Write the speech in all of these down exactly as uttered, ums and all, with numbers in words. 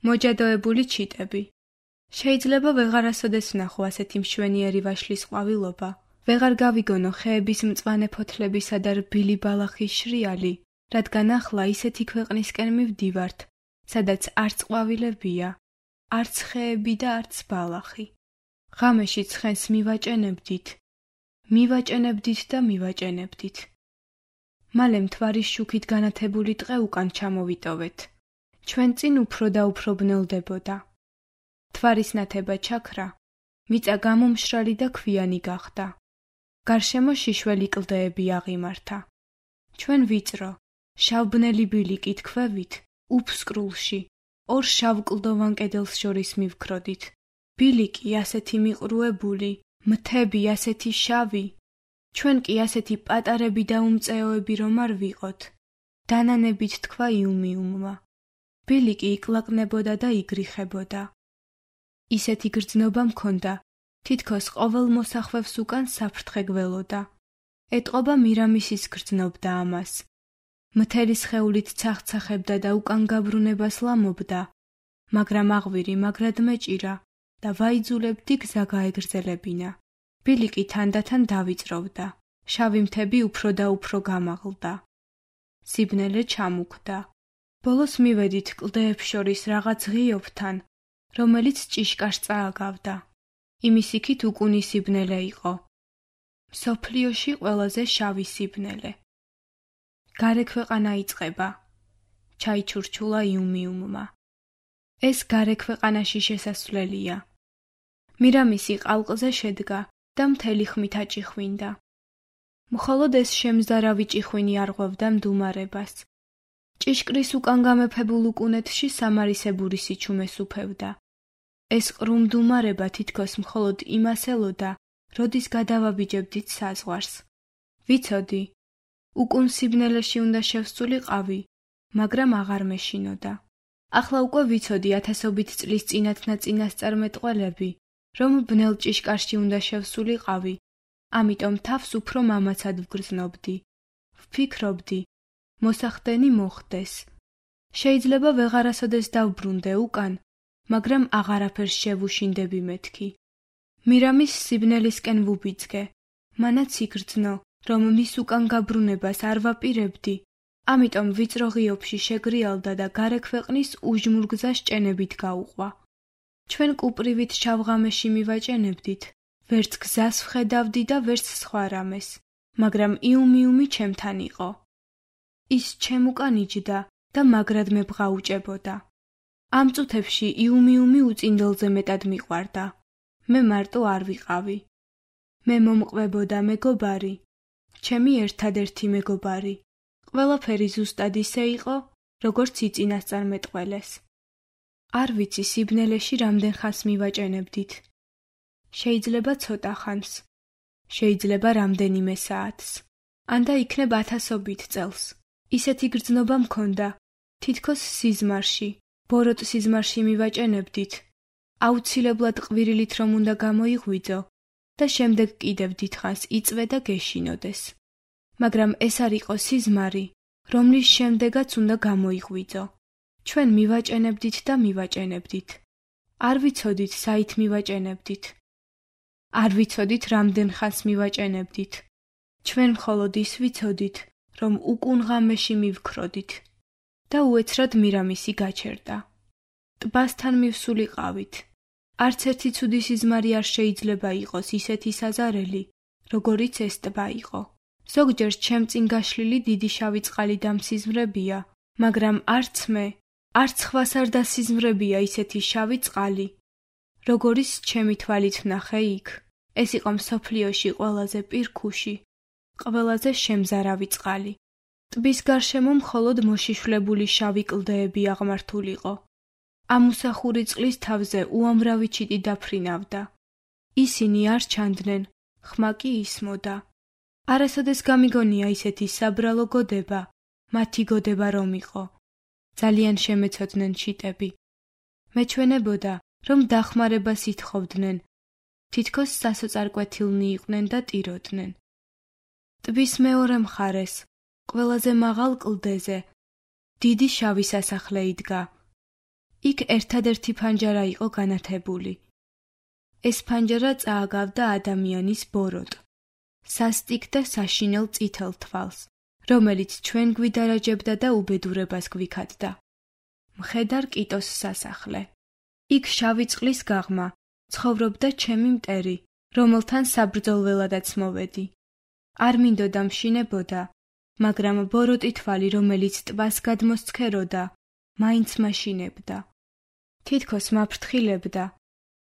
მოჯადოებული ჩიტები. შეიძლება ვეღარასოდეს ვნახო ასეთი მშვენიერი ვაშლის ყვავილობა, ვეღარ გავიგონო ხეების მწვანე ფოთლებისა და რბილი ბალახის შრიალი, რადგან ახლა ისეთი ქვეყნისკენ მივდივართ, სადაც არც ყვავილებია, არც ხეები და არც ბალახი. ღამეში ცხენს მივაჭენებდით, მივაჭენებდით და მივაჭენებდით. მალე მთვარის შუქით განათებული ტყე უკან ჩამოვიტოვეთ. ჩვენ წინ უფრო და უფრო ბნელდებოდა. მთვარის ნათება ჩაქრა, მიწა გამომშრალი და ქვიანი გახდა. გარშემო შიშველი კლდეები აღიმართა. ჩვენ ვიწრო, შავბნელი ბილიკით ქვევით, უფსკრულში, ორ შავკლდოვან კედელს შორის მივქროდით. ბილიკი ასეთი მიყრუებული, მთები ასეთი შავი, ჩვენ კი ასეთი პატარები და უმწეოები რომ არ ვიყოთ. დანანებით თქვა იუმიუმმა. ბილიკი იკლაკნებოდა და იგრიხებოდა. ისეთი გრძნობა მქონდა, თითქოს ყოველ მოსახვევს უკან საფრთხე გველოდა. ეტყობა მირამისის გრძნობდა ამას. მთელი სხეულით ცახცახებდა და უკან გაბრუნებას ლამობდა, მაგრამ აღვირი მაგრად მეჭირა და ვაიძულებდი გზა გაეგრძელებინა. ბილიკი თანდათან დავიწროვდა. შავი მთები უფრო და უფრო გამაღლდა. სიბნელე ჩამუქდა. ბოლოს მივედით კლდეებს შორის რაღაც ღიობთან, რომელიც ჭიშკარს წააგავდა. იმის იქით უკუნი სიბნელე იყო. მსოფლიოში ყველაზე შავი სიბნელე. გარე ქვეყანა იწყება, ჩაიჩურჩულა იუმიუმმა. ეს გარე ქვეყანაში შესასვლელია. მირამისი ყალყზე შედგა და მთელი ხმით აჭიხვინდა. მხოლოდ ეს შემზარავი ჭიხვინი არღვევდა მდუმარებას. ჭიშკრის უკან გამეფებულ უკუნეთში სამარისებური სიჩუმეს უფევდა. ეს ყრუ მდუმარება თითქოს მხოლოდ იმას ელოდა, როდის გადავაბიჯებდით საზღვარს. ვიცოდი, უკუნ სიბნელეში უნდა შევსწულიყავი, მაგრამ აღარ მეშინოდა. ახლა უკვე ვიცოდი ათასობით წლის წინათნაწინასწარმეტყველები, რომ ბნელ ჭიშკარში უნდა შევსულიყავი, ამიტომ თავს უფრო მამაცად ვგრძნობდი. ვფიქრობდი, მოსახდენი მოხდეს. შეიძლება ვეღარასოდეს დავბრუნდე უკან, მაგრამ აღარაფერს შევუშინდები მეთქი. მირამის სიბნელისკენ ვუბიძგე, მანაც იგრძნო, რომ მის უკან გაბრუნებას არ ვაპირებდი, ამიტომ ვიწრო ღიობში შეგრიალდა და გარე ქვეყნის უჟმურ გზას ჭენებით გაუყვა. ჩვენ კუპრივით შავღამეში მივაჭენებდით, ვერც გზას ვხედავდი და ვერც სხვა რამეს, მაგრამ იუმიუმი ჩემთან იყო. ის ჩემ უკან იჯდა და მაგრად მე ბღაუჭებოდა. ამ წუთებში იუმიუმი უწინდელზე მეტად მიყვარდა. მე მარტო არ ვიყავი. მე მომყვებოდა მეგობარი, ჩემი ერთადერთი მეგობარი. ყველაფერი ზუსტად ისე იყო, როგორც იწინასწარმეტყველეს. არ ვიცი სიბნელეში რამდენ ხანს მივაჭენებდით. შეიძლება ცოტა ხანს, შეიძლება რამდენიმე საათს, ან და იქნებ ათასობით წელს. ისეთი გრძნობა მქონდა, თითქოს სიზმარში, ბოროტ სიზმარში მივაჭენებდით. აუცილებლად ყვირილით რომ უნდა გამოიღვიძო და შემდეგ კიდევ დიდხანს იწვე და გეშინოდეს. მაგრამ ეს არ იყო სიზმარი, რომლის შემდეგაც უნდა გამოიღვიძო. ჩვენ მივაჭენებდით და მივაჭენებდით. არ ვიცოდით საით მივაჭენებდით. არ ვიცოდით რამდენ ხანს მივაჭენებდით. ჩვენ მხოლოდ ის ვიცოდით, რომ უკუნ ღამეში მივქროდით და უეცრად მირამისი გაჩერდა. ტბასთან მივსულიყავით. არც ერთი ცუდი სიზმარი არ შეიძლება იყოს ისეთი საზარელი, როგორიც ეს ტბა იყო. ზოგჯერ ჩემ წინ გაშლილი დიდი შავი წყალი დამსიზმრებია, მაგრამ არც მე, არც ხვას არ დასიზმრებია ისეთი შავი წყალი, როგორიც ჩემი თვალით ვნახე იქ. ეს იყო მსოფლიოში ყველაზე პირქუში, ყველაზე შემზარავი წყალი. ტბის გარშემო მხოლოდ მოშიშვლებული შავი კლდეები აღმართულიყო. ამუსახური წყლის თავზე უამრავი ჩიტი დაფრინავდა. ისინი არ ჩანდნენ, ხმა კი ისმოდა. არასოდეს გამიგონია ისეთი საბრალო გოდება, მათი გოდება რომ იყო. ძალიან შემეცოდნენ ჩიტები. მეჩვენებოდა, რომ დახმარებას ითხოვდნენ, თითქოს სასოწარკვეთილნი იყვნენ და ტიროდნენ. ტბის მეორე მხარეს, ყველაზე მაღალ კლდეზე, დიდი შავი სასახლე იდგა. იქ ერთადერთი ფანჯარა იყო განათებული. ეს ფანჯარა წააგავდა ადამიანის ბოროტ, სასტიკ და საშინელ წითელ თვალს, რომელიც ჩვენ გვიდარაჯებდა და უბედურებას გვიქადდა. მხედარ კიტოს სასახლე. იქ შავი წყლის გაღმა ცხოვრობდა ჩემი მტერი, რომელთან საბრძოლველადაც მოვედი. არ მინდოდა მშინებოდა, მაგრამ ბოროტი თვალი, რომელიც ტბას გადმოსცქეროდა, მაინც მაშინებდა. თითქოს მაფრთხილებდა.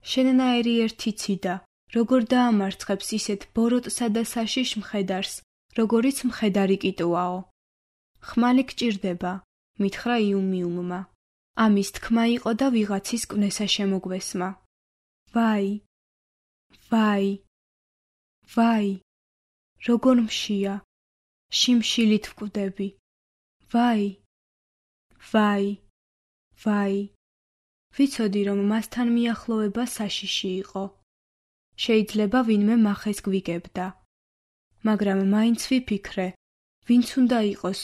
შენნაირი ერთი ციდა, როგორ დაამარცხებს ისეთ ბოროტსა და საშიშ მხედარს, როგორიც მხედარი კიტოაო. ხმალი გჭირდება, მითხრა იუმიუმმა. ამის თქმა იყო და ვიღაცის კვნესა შემოგვესმა. ვაი, ვაი, ვაი, როგორ მშია, შიმშილით ვკვდები. ვაი, ვაი, ვაი. ვიცოდი, რომ მასთან მიახლოვება საშიში იყო. შეიძლება ვინმე მახეს გვიგებდა. მაგრამ მაინც ვიფიქრე, ვინც უნდა იყოს,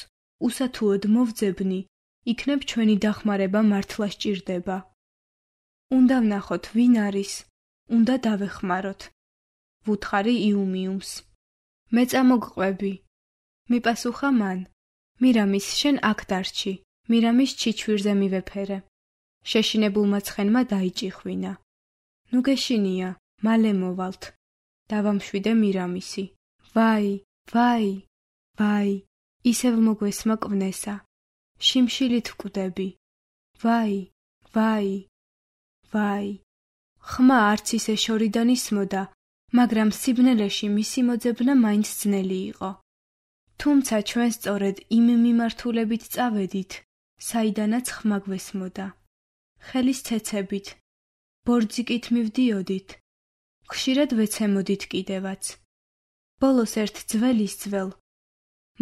უსათუოდ მოვძებნი, იქნებ ჩვენი დახმარება მართლა სჭირდება. უნდა ვნახოთ, ვინ არის, უნდა დავეხმაროთ. ვუთხარი იუმიუმს. მე წამოგყვები. მიპასუხა მან. მირამის, შენ აქ დარჩი, მირამის ჩიჩვირზე მივეფერე. შეშინებულმა ცხენმა დაიჭიხვინა. ნუ გეშინია, მალე მოვალთ. დავამშვიდე მირამისი. ვაი, ვაი, ვაი, ისევ მოგვესმა კვნესა. შიმშილით ვკვდები. ვაი, ვაი, ვაი. ხმა არც ისე შორიდან ისმოდა, მაგრამ სიბნელეში მისი მოძებნა მაინც ძნელი იყო. თუმცა ჩვენ სწორედ იმ მიმართულებით წავედით, საიდანაც ხმა გვესმოდა. ხელის ცეცებით, ბორძიკით მივდიოდით, ხშირად ვეცემოდით კიდევაც. ბოლოს ერთ ძველის ძველ,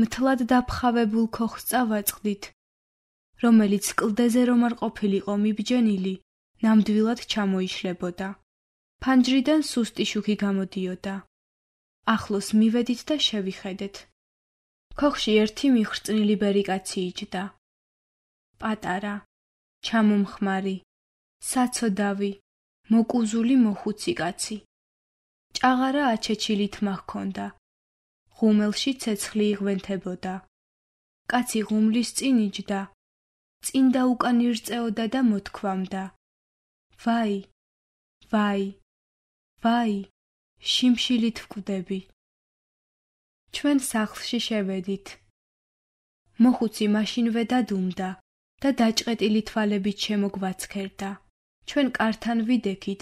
მთლად დაფხავებულ ქოხს წავაწყდით, რომელიც კლდეზე რომ არ ყოფილიყო მიბჯენილი, ნამდვილად ჩამოიშლებოდა. ფანჯრიდან სუსტი შუქი გამოდიოდა. ახლოს მივედით და შევიხედეთ. ქოხში ერთი მიხრწნილი ბერი კაცი იჯდა. პატარა, ჩამომხმარი, საცოდავი, მოკუზული მოხუცი კაცი. ჭაღარა აჩეჩილი თმა ჰქონდა. ღუმელში ცეცხლი იღვენთებოდა. კაცი ღუმლის წინ იჯდა. წინ და უკან ირწეოდა და მოთქვამდა. ვაი, ვაი, ვაი, შიმშილით ვკვდები. ჩვენ სახლში შევედით. მოხუცი მაშინვე დადუმდა და დაჭყეტილი თვალებით შემოგვაცქერდა. ჩვენ კართან ვიდექით.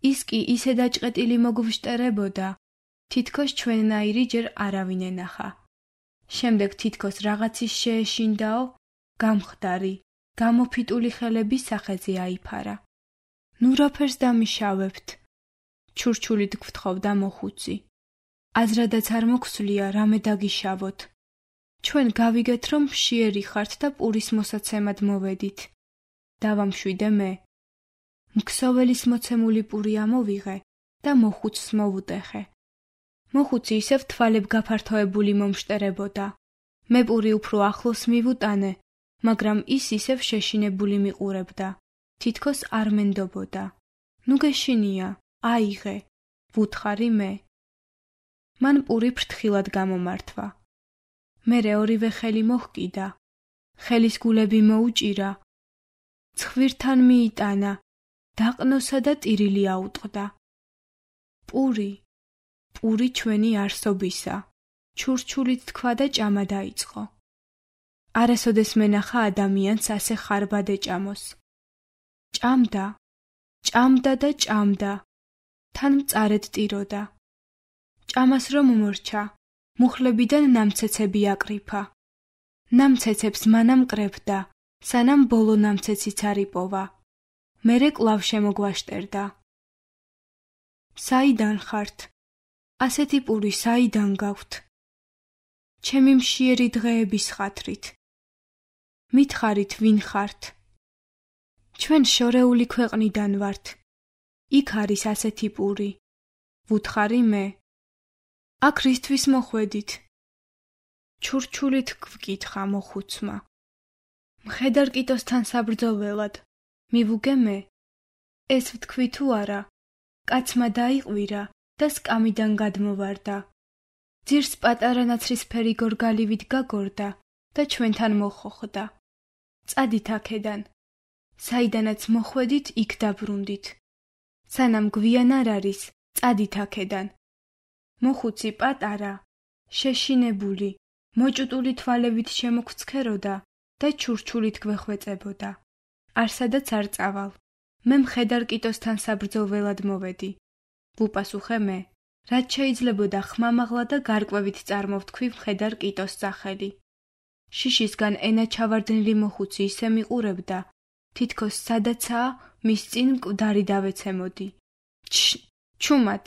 ის კი ისე დაჭყეტილი მოგვშტერებოდა, თითქოს ჩვენნაირი ჯერ არავინ ენახა. შემდეგ თითქოს რაღაცის შეეშინდაო, გამხდარი, გამოფიტული ხელების სახეზე აიფარა. ნუ რაფერს დამიშავებთ, ჩურჩულით გვთხოვდა მოხუცი. აზრადაც არ მოგვსვლია რამე დაგიშავოთ. ჩვენ გავიგეთ, რომ მშიერი ხართ და პურის მოსაცემად მოვედით. დავამშვიდე მე. მქსოველის მოცემული პური ამოვიღე და მოხუცს მოვუტეხე. მოხუცი ისევ თვალებ გაფართოებული მომშტერებოდა. მე პური უფრო ახლოს მივუტანე, მაგრამ ის ისევ შეშინებული მიყურებდა. თითქოს არ მენდობოდა. ნუ გეშინია, აიღე, ვუთხარი მე. მან პური ფრთხილად გამომართვა. მერე ორივე ხელი მოჰკიდა. ხელის გულები მოუჭირა. ცხვირთან მიიტანა. დაყნოსა და ტირილი აუტყდა. პური, პური ჩვენი არსობისა. ჩურჩულით თქვა და ჭამა დაიწყო. არასოდეს მენახა ადამიანს ასე ხარბად ეჭამოს. ჭამდა, ჭამდა და ჭამდა. თან მწარედ ტიროდა. ჭამას რომ მორჩა, მუხლებიდან ნამცეცები აკრიფა. ნამცეცებს მანამ კრებდა, სანამ ბოლო ნამცეციც არ იპოვა. მერე კვლავ შემოგვაშტერდა. საიდან ხართ? ასეთი პური საიდან გაქვთ? ჩემი მშიერი დღეების ხათრით. მითხარით ვინ ხართ? ჩვენ შორეული ქვეყნიდან ვართ. იქ არის ასეთი პური. ვუთხარი მე. აქ რისთვის მოხვედით? ჩურჩულით გვკითხა მოხუცმა. მხედარ კიტოსთან საბრძოლველად. მივუგე მე. ეს ვთქვი თუ არა, კაცმა დაიყვირა და სკამიდან გადმოვარდა. ძირს პატარა ნაცრისფერი გორგალივით გაგორდა და ჩვენთან მოხოხდა. წადით აქედან. საიდანაც მოხვედით, იქ დაბრუნდით. სანამ გვიან არ არის, წადით აქედან. მოხუცი პატარა, შეშინებული, მოჭუტული თვალებით შემოგცქეროდა და ჩურჩულით გვეხვეწებოდა. არსადაც არ წავალ. მე მხედარ კიტოსთან საბრძოლველად მოვედი. ვუპასუხე მე, რაც შეიძლებოდა ხმამაღლა და გარკვევით წარმოვთქვი მხედარ კიტოს სახელი. შიშისგან ენა ჩავარდნილი მოხუცი ისე მიყურებდა, თითქოს სადაცაა მის წინ მკვდარი დავეცემოდი. ჩ, ჩუმად.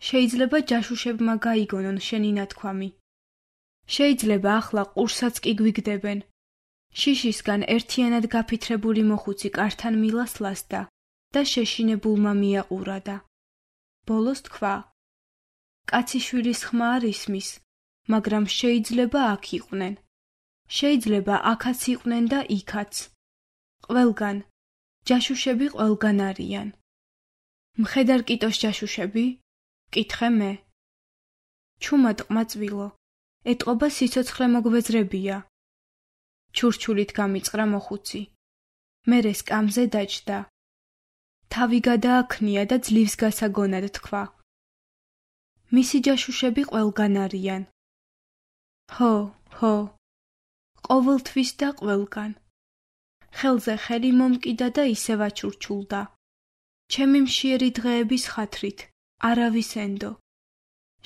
შეიძლება ჯაშუშებმა გაიგონონ შენი ნათქვამი. შეიძლება ახლა ყურსაც კი გვიგდებენ. შიშისგან ერთიანად გაფითრებული მოხუცი კართან მილას ლასდა და შეშინებულმა მიაყურადა. ბოლოს თქვა: კაციშვილის ხმა არ ისმის, მაგრამ შეიძლება აქ იყვნენ. შეიძლება აქაც იყვნენ და იქაც. ყველგან. ჯაშუშები ყველგან არიან. მხედარ კიტოს ჯაშუშები? ვკითხე მე. ჩუმად ყმაწვილო, ეტყობა სიცოცხლე მოგვეძრებია. ჩურჩულით გამიწყრა მოხუცი. მერე სკამზე დაჯდა. თავი გადააქნია და ძლივს გასაგონად თქვა: მისი ჯაშუშები ყველგან არიან. ჰო, ჰო. ყოველთვის და ყველგან. ხელზე ხელი მომკიდა და ისევ აჩურჩულდა. ჩემი მშიერი დღეების ხათრით, არავის ენდო.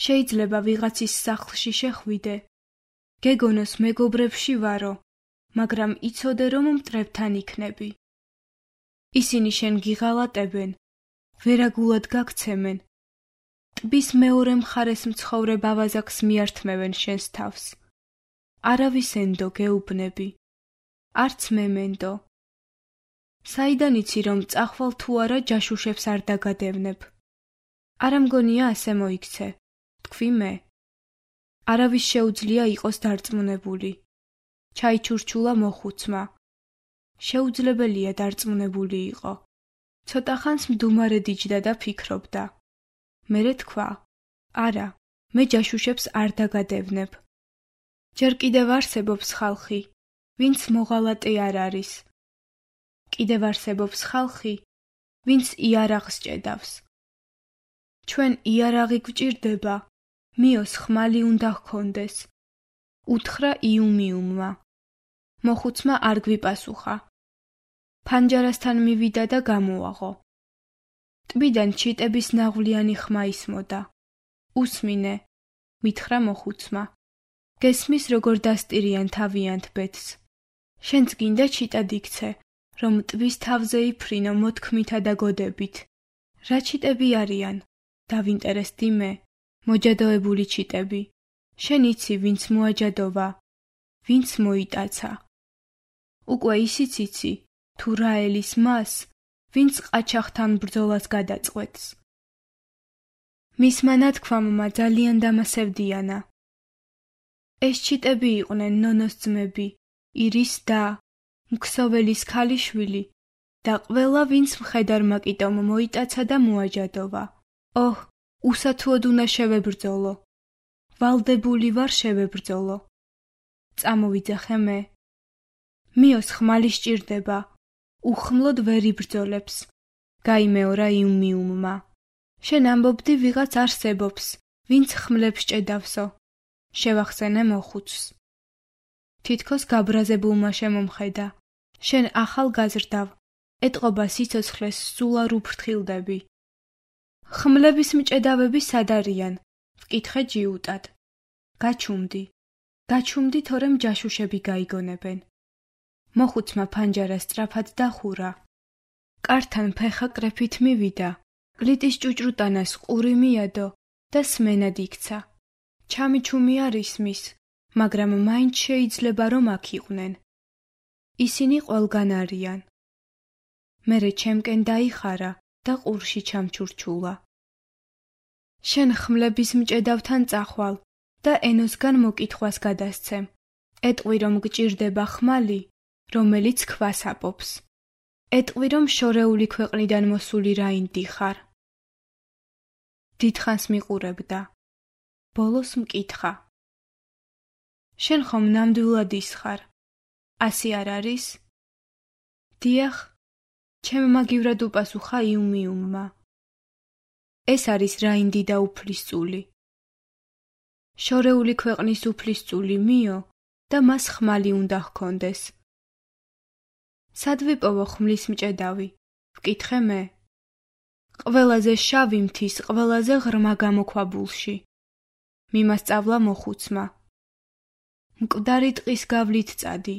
შეიძლება ვიღაცის სახლში შეხვიდე. გეგონოს მეგობრებში ვარო, მაგრამ იცოდე რომ მტრებთან იქნები. ისინი შენ გიღალატებენ, ვერაგულად გაქცემენ. ტბის მეორე მხარეს მცხოვრე ბავაზაკს მიართმევენ შენს თავს. არავის ენდო გეუბნები. არც მე მენდო. საიდან იცი რომ წახვალ თუ არა ჯაშუშებს არ დაგადევნებ? არა მგონია ასე მოიქცე, თქვი მე. არავის შეუძლია იყოს დარწმუნებული. ჩაიჩურჩულა მოხუცმა. შეუძლებელია დარწმუნებული იყო. ცოტა ხანს მდუმარე დიჯდა და ფიქრობდა. მერე თქვა: არა, მე ჯაშუშებს არ დაგადევნებ. ჯერ კიდევ არსებობს ხალხი, ვინც მოღალატე არ არის. კიდევ არსებობს ხალხი, ვინც იარაღს ჭედავს. ჩვენ იარაღი გვჭირდება, მიოს ხმალი უნდა ჰქონდეს. უთხრა იუმიუმმა. მოხუცმა არ გვიპასუხა. ფანჯარასთან მივიდა და გამოაღო. ტბიდან ჩიტების ნაღვლიანი ხმა ისმოდა. უსმინე, მითხრა მოხუცმა. გესმის როგორ დასტირიან თავიანთ ბედს. შენც გინდა ჩიტად იქცე, რომ ტბის თავზე იფრინო მოთქმითა და გოდებით. რა ჩიტები არიან? დავინტერესდი მე. მოჯადოებული ჩიტები. შენ იცი ვინც მოაჯადოვა, ვინც მოიტაცა. უკვე ისიც იცი, თუ რა ელის მას, ვინც ყაჩაღთან ბრძოლას გადაწყვეტს. მისმა ნათქვამმა ძალიან დამასევდიანა. ეს ჩიტები იყვნენ ნონოს ძმები, ირის და, მქსოველის ქალიშვილი და ყველა ვინც მხედარმა კიტომ მოიტაცა და მოაჯადოვა. ოჰ, უსათუოდ უნდა შევებრძოლო. ვალდებული ვარ შევებრძოლო. წამოვიძახე მე. მიოს ხმალი სჭირდება. უხმლოდ ვერ იბრძოლებს. გაიმეორა იუმიუმმა. შენ ამბობდი ვიღაც არსებობს, ვინც ხმლებს ჭედავსო. შევახსენე მოხუცს. თითქოს გაბრაზებულმა შემომხედა. შენ ახალ გაზრდავ, ეტყობა სიცოცხლეს სულ არ უფრთხილდები. ხმლების მჭედავები სად არიან? ვკითხე ჯიუტად. გაჩუმდი. გაჩუმდი თორემ ჯაშუშები გაიგონებენ. მოხუცმა ფანჯარა სწრაფად დახურა. კართან ფეხა კრეფით მივიდა. კლიტის ჭუჭრუტანას ყური მიადო და სმენად იქცა. ჩამიჩუმი არ ისმის, მაგრამ მაინც შეიძლება რომ აქ იყვნენ. ისინი ყველგან არიან. მერე ჩემკენ დაიხარა და ყურში ჩამჩურჩულა. შენ ხმლების მჭედავთან წახვალ და ენოსგან მოკითხვას გადასცემ. ეტყვი რომ გჭირდება ხმალი, რომელიც ქვას აპობს. ეტყვი, რომ შორეული ქვეყნიდან მოსული რაინდი ხარ. დიდხანს მიყურებდა. ბოლოს მკითხა. შენ ხომ ნამდვილად ის ხარ? ასი არ არის? დიახ, ჩემმა გივრად უპასუხა იუმიუმმა. ეს არის რაინდი და უფლისწული. შორეული ქვეყნის უფლისწული მიო და მას ხმალი უნდა ჰქონდეს. სად ვიპოვო ხმლის მჭედავი? ვკითხე მე. ყველაზე შავი მთის ყველაზე ღრმა გამოქვაბულში. მიმასწავლა მოხუცმა. მკვდარი ტყის გავლით წადი.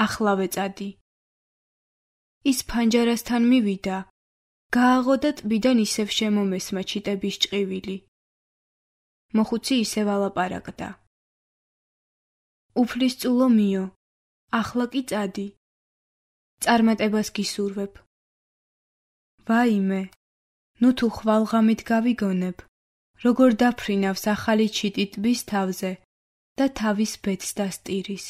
ახლავე წადი. ის ფანჯარასთან მივიდა. გააღო და ტბიდან ისევ შემომესმა ჩიტების ჭყივილი. მოხუცი ისევ ალაპარაკდა. უფლისწულო მიო, ახლა კი წადი. წარმატებას გისურვებ. ვაიმე, ნუ თუ ხვალღამით გავიგონებ, როგორ დაფრინავს ახალი ჩიტი ტბის თავზე და თავის ბედს დასტირის.